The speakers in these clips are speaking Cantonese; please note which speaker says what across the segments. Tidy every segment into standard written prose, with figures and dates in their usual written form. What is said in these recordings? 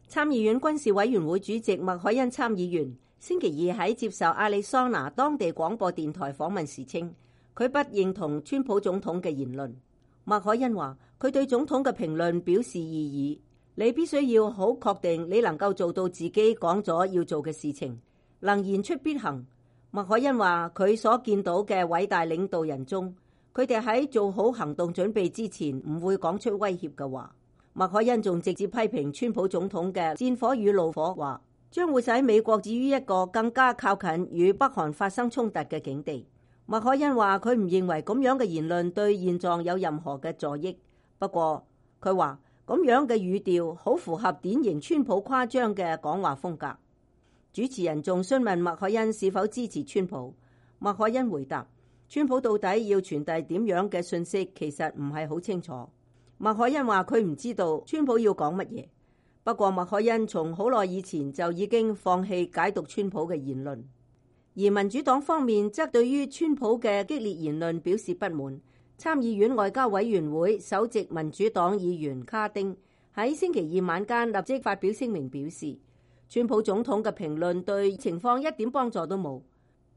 Speaker 1: 參議院軍事委員會主席麥凱恩參議員星期二喺接受亞利桑那當地廣播電台訪問時稱，佢不認同川普總統嘅言論。麥凱恩話：佢對總統嘅評論表示異議，你必須要好確定你能夠做到自己講咗要做嘅事情，能言出必行。麥凱恩話：佢所見到嘅偉大領導人中，佢哋喺做好行動準備之前唔會講出威脅嘅話。麥凱恩仲直接批評川普總統嘅戰火與怒火，話將會使美國置於一個更加靠近與北韓發生衝突嘅境地。麥凱恩話佢唔認為咁樣嘅言論對現狀有任何嘅助益，不過佢話咁樣嘅語調好符合典型川普誇張嘅講話風格。主持人仲詢問麥凱恩是否支持川普，麥凱恩回答：川普到底要傳遞點樣嘅信息，其實唔係好清楚。麥凱恩話佢唔知道川普要講乜嘢，不過麥凱恩從好耐以前就已經放棄解讀川普嘅言論。而民主黨方面則對於川普嘅激烈言論表示不滿。參議院外交委員會首席民主黨議員卡丁喺星期二晚間立即發表聲明表示，川普總統嘅評論對情況一點幫助都冇，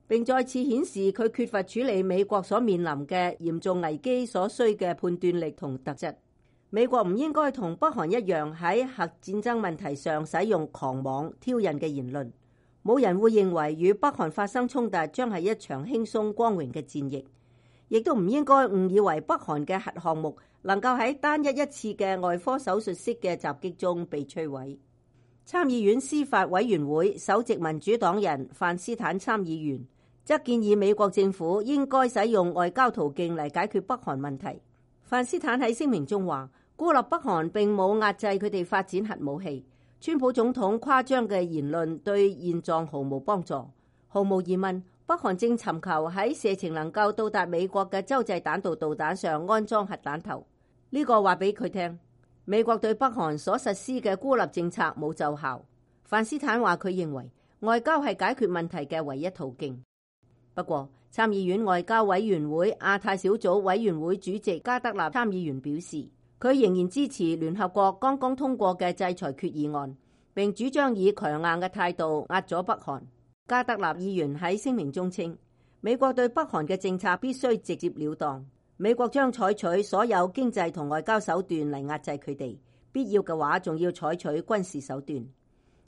Speaker 1: 並再次顯示佢缺乏處理美國所面臨嘅嚴重危機所需嘅判斷力同特質。美國唔應該同北韓一樣喺核戰爭問題上使用狂妄挑釁嘅言論。冇人會認為與北韓發生衝突將係一場輕鬆光榮嘅戰役，亦都唔應該誤以為北韓嘅核項目能夠喺單一次嘅外科手術式嘅襲擊中被摧毀。參議院司法委員會首席民主黨人范斯坦參議員則建議美國政府應該使用外交途徑嚟解決北韓問題。范斯坦喺聲明中話，孤立北韓並冇壓制佢哋發展核武器。川普總統誇張嘅言論對現狀毫無幫助。毫無疑問，北韓正尋求喺射程能夠到達美國嘅洲際彈道導彈上安裝核彈頭。呢個話俾佢聽，美國對北韓所實施嘅孤立政策冇奏效。范斯坦話佢認為外交係解決問題嘅唯一途徑。不過，參議院外交委員會亞太小組委員會主席加德納參議員表示，佢仍然支持聯合國剛剛通過嘅制裁決議案，並主張以強硬嘅態度壓咗北韓。加德納議員喺聲明中稱，美國對北韓嘅政策必須直接了當，美國將採取所有經濟同外交手段嚟壓制佢哋，必要嘅話仲要採取軍事手段。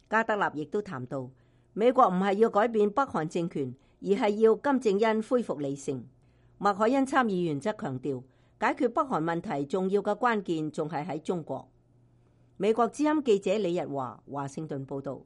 Speaker 1: 加德納亦都談到，美國唔係要改變北韓政權，而係要金正恩恢復理性。麥凱恩參議員則強調，解決北韓問題重要嘅關鍵仲係喺中國。美國之音記者李日華華盛頓報道。